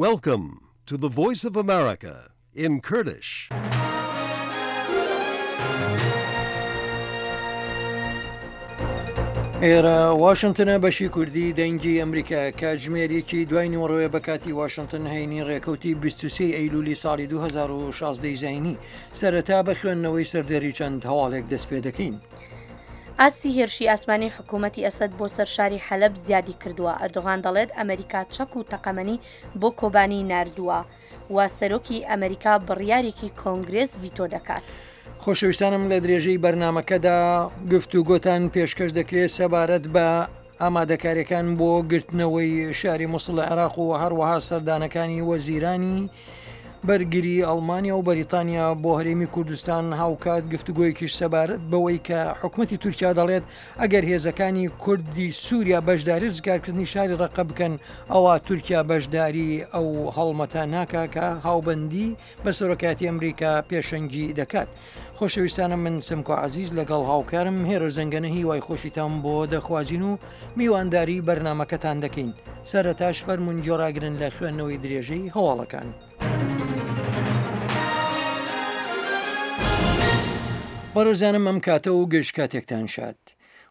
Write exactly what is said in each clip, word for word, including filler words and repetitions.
Welcome to the Voice of America in Kurdish. ئێرە واشنتنە بەشی کوردی دەنگی ئەمریکا کاتژمێر یەکی دوای نیوەڕۆیە بە کاتی واشنتن هەینی ڕێکەوتی بیست و سێ ئەیلولی ساڵی دوو هەزار و شازدە زایینی. سەرەتا بە خوێندنەوەی سەردێری چەند هەواڵێک دەست پێ دەکەین. ئاستی هێرشی ئاسمانی حکوومەتی ئەسەد بۆ سەر شاری حەلەب زیادی کردووە. ئەردۆغان دەڵێت ئەمریکا چەک و تەقەمەنی بۆ کۆبانی ناردووە و سەرۆکی ئەمریکا بڕیارێکی کۆنگرێس ڤیتۆ دەکات. خۆشەویستانم لە درێژەی بەرنامەکەدا گفتوگۆتان پێشکەش دەکرێت سەبارەت بە ئامادەکاریەکان بۆ گرتنەوەی شاری موسڵ لە عێراق و هەروەها سەردانەکانی وەزیرانی بەرگری ئەڵمانیا و بەریتانیا بۆ هەرێمی کوردستان. هاوکات گفتوگۆیەکیش سەبارەت بەوەی کە حکوومەتی تورکیا دەڵێت ئەگەر هێزەکانی کوردی سووریا بەشداری ڕزگارکردنی شاری ڕەقە بکەن ئەوە تورکیا بەشداری ئەو هەڵمەتە ناکا کە هاوبەندی بە سەرۆکایەتی ئەمریکا پێشەنگی دەکات. خۆشەویستانم من سمکۆ عەزیز لەگەڵ هاوکارم هێرۆ زەنگەنە هیوای خۆشیتان بۆ دەخوازین و میوانداری بەرنامەکەتان دەکەین. سەرەتاش فەرمونون گۆڕاگرن لە خوێندنەوەی درێژەی هەواڵەکان. بەڕێزانم ئەم کاتە و گشت کاتێکتان شاد.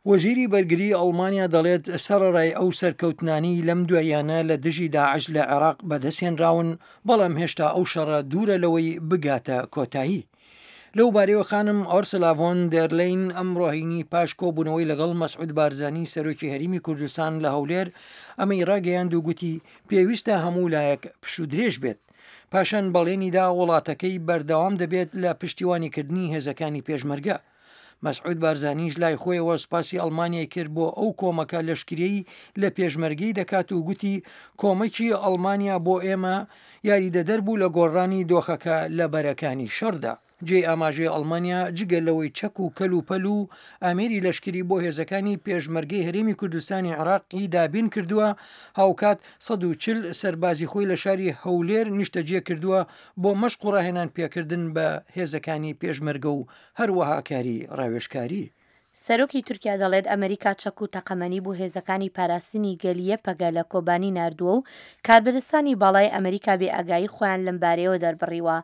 وەزیری بەرگری ئەڵمانیا دەڵێت سەرەڕای ئەو سەرکەوتنانی لەم دواییانە لە دژی داعش لە عێراق بەدەستهێنراون، بەڵام هێشتا ئەو شەڕە دوورە لەوەی بگاتە کۆتایی. لەو بارەیەوە خانم ئۆرسلا ڤۆن دێرلین ئەمڕۆ هەینی پاش کۆبوونەوەی لەگەڵ مەسعود بارزانی سەرۆکی هەرێمی کوردستان لە هەولێر ئەمەی ڕاگەیاند و گوتی پێویستە هەموو لایەک پشوودرێژ بێت. پاشان بەڵێنیدا وڵاتەکەی بەردەوام دەبێت لە پشتیوانیکردنی هێزەکانی پێشمەرگە. مەسعود بارزانیش لای خۆیەوە سوپاسی ئەڵمانیای کرد بۆ ئەو کۆمەکە لەشکریەی لە پێشمەرگەی دەکات و گوتی کۆمەکی ئەڵمانیا بۆ ئێمە یاریدەدەر بوو لە گۆڕانی دۆخەکە لە بەرەکانی شەڕدا. جێی ئاماژەی ئەڵمانیا جگە لەوەی چەک و کەل و پەل و ئامێری لەشکری بۆ هێزەکانی پێشمەرگەی هەرێمی کوردستانی عێراقی دابین کردووە، هاوکات سەد و چل سەربازی خۆی لە شاری هەولێر نیشتەجێ کردووە بۆ مەشق و ڕاهێنان پێکردن بە هێزەکانی پێشمەرگە و هەروەها کاری ڕاوێژکاری. سەرۆکی تورکیا دەڵێت ئەمریکا چەک و تەقەمەنی بۆ هێزەکانی پاراستنی گەلیە پەگە لە کۆبانی ناردووە و کاربەدەستانی باڵای ئەمریکا بێ ئاگایی خۆیان لەم بارەیەوە دەربڕیوە.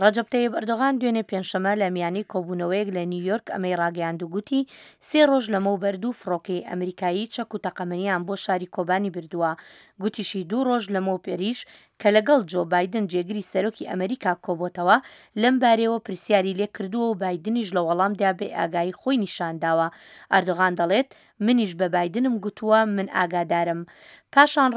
ڕەجەب تەیب ئەردۆغان دوێنێ پێنجشەممە لە میانی کۆبوونەوەیەک لە نیویۆرک ئەمەی ڕاگەیاند و گوتی سێ ڕۆژ لەمەوبەر دوو فڕۆکەی ئەمریکایی چەک و تەقەمەنیان بۆ شاری کۆبانی بردووە. گوتیشی دوو ڕۆژ لەمەوبەریش کە لەگەڵ جۆ بایدن جێگری سەرۆکی ئەمریکا کۆبۆتەوە لەم بارەیەوە پرسیاری لێ کردووە و بایدنیش لە وەڵامدا بێ ئاگایی خۆی نیشانداوە. ئەردۆغان دەڵێت منیش بە بایدنم گوتووە من ئاگادارم. پاشان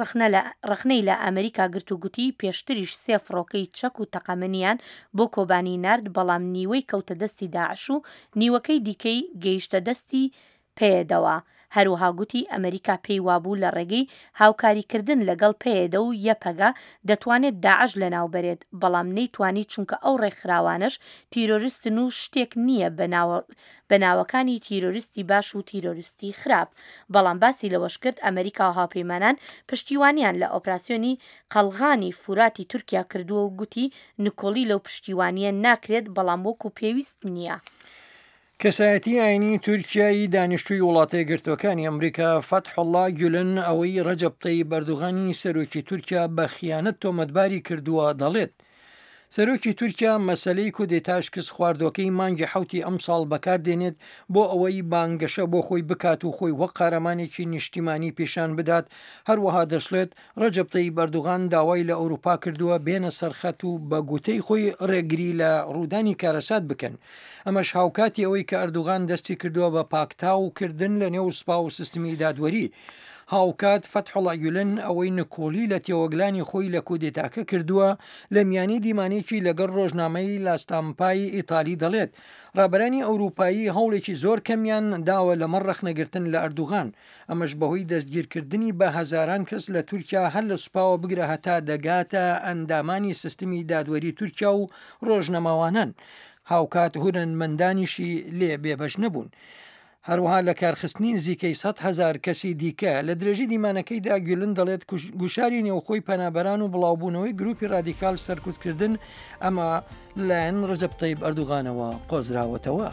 ڕەخنەی لە ئەمریکا گرت و گوتی پێشتریش سێ فڕۆکەی چەک و تەقەمەنیان بۆ کۆبانی نارد، بەڵام نیوەی کەوتە دەستی داعش و نیوەکەی دیکەی گەیشتە دەستی پەیەدەوە. هەروەها گوتی ئەمریکا پێی وابوو لە ڕێگەی هاوکاریکردن لەگەڵ پەیەدە و یەپەگە دەتوانێت داعش لەناوبەرێت، بەڵام نەیتوانی چونکە ئەو ڕێکخراوانەش تیرۆریستن و شتێک نییە بە ناوەکانی تیرۆریستی باش و تیرۆریستی خراپ. بەڵام باسی لەوەش کرد ئەمریکا و هاوپەیمانان پشتیوانیان لە ئۆپراسیۆنی قەڵغانی فوراتی تورکیا کردووە و گوتی نکۆڵی لەو پشتیوانیە ناکرێت، بەڵام وەکو پێویست نییە. کەسایەتی ئاینی تورکیایی دانیشتووی وڵاتە یەکگرتووەکانی ئەمریکا فەتحوڵڵا گولن ئەوەی ڕەجەب تەیب ئەردۆغانی سەرۆکی تورکیا بە خیانەت تۆمەتباری کردووە دەڵێت سەرۆکی تورکیا مەسلەی کودێتا شکست خواردۆکەی مانگی حەوتی ئەمساڵ بەکاردێنێت بۆ ئەوەی بانگەشە بۆ خۆی بکات و خۆی وەک قارەمانێکی نیشتیمانی پیشان بدات. هەروەها دەشڵێت ڕەجەب تەیب ئەردۆغان داوای لە ئەوروپا کردووە بێنە سەرخەت و بە گوتەی خۆی ڕێگری لە ڕوودانی کارەسات بکەن. ئەمەش هاوکاتی ئەوەی کە ئەردۆغان دەستی کردووە بە پاکتاوکردن لە نێو سوپا و سیستمی دادوەری. هاوکات فەتحوڵا گولن ئەوەی نکۆڵی لە تێوەگلانی خۆی لە کودێتاکە کردووە لە میانی دیمانێکی لەگەڵ ڕۆژنامەی لاستامپای ئیتالی دەڵێت ڕابەرانی ئەوروپایی هەوڵێکی زۆر کەمیان داوە لەمەڕ ڕەخنەگرتن لە ئەردوغان، ئەمەش بەهۆی دەستگیرکردنی بە هەزاران کەس لە تورکیا هەر لە سوپاوە بگرە هەتا دەگاتە ئەندامانی سیستمی دادوەری تورکیا و ڕۆژنەماوانان. هاوکات هونەرمەندانیشی لێ بێبەش نەبوون. هەروەها لە کارخستنی نزیکەی سەد هەزار کەسی دیکە. لە درێژی دیمانەکەیدا گولن دەڵێت گوشاری نێوخۆی پەنابەران و بڵاوبوونەوەی گروپی ڕادیکال سەرکوتکردن ئەمە لەلایەن ڕەجەب تەیب ئەردوغانەوە قۆزراوەتەوە.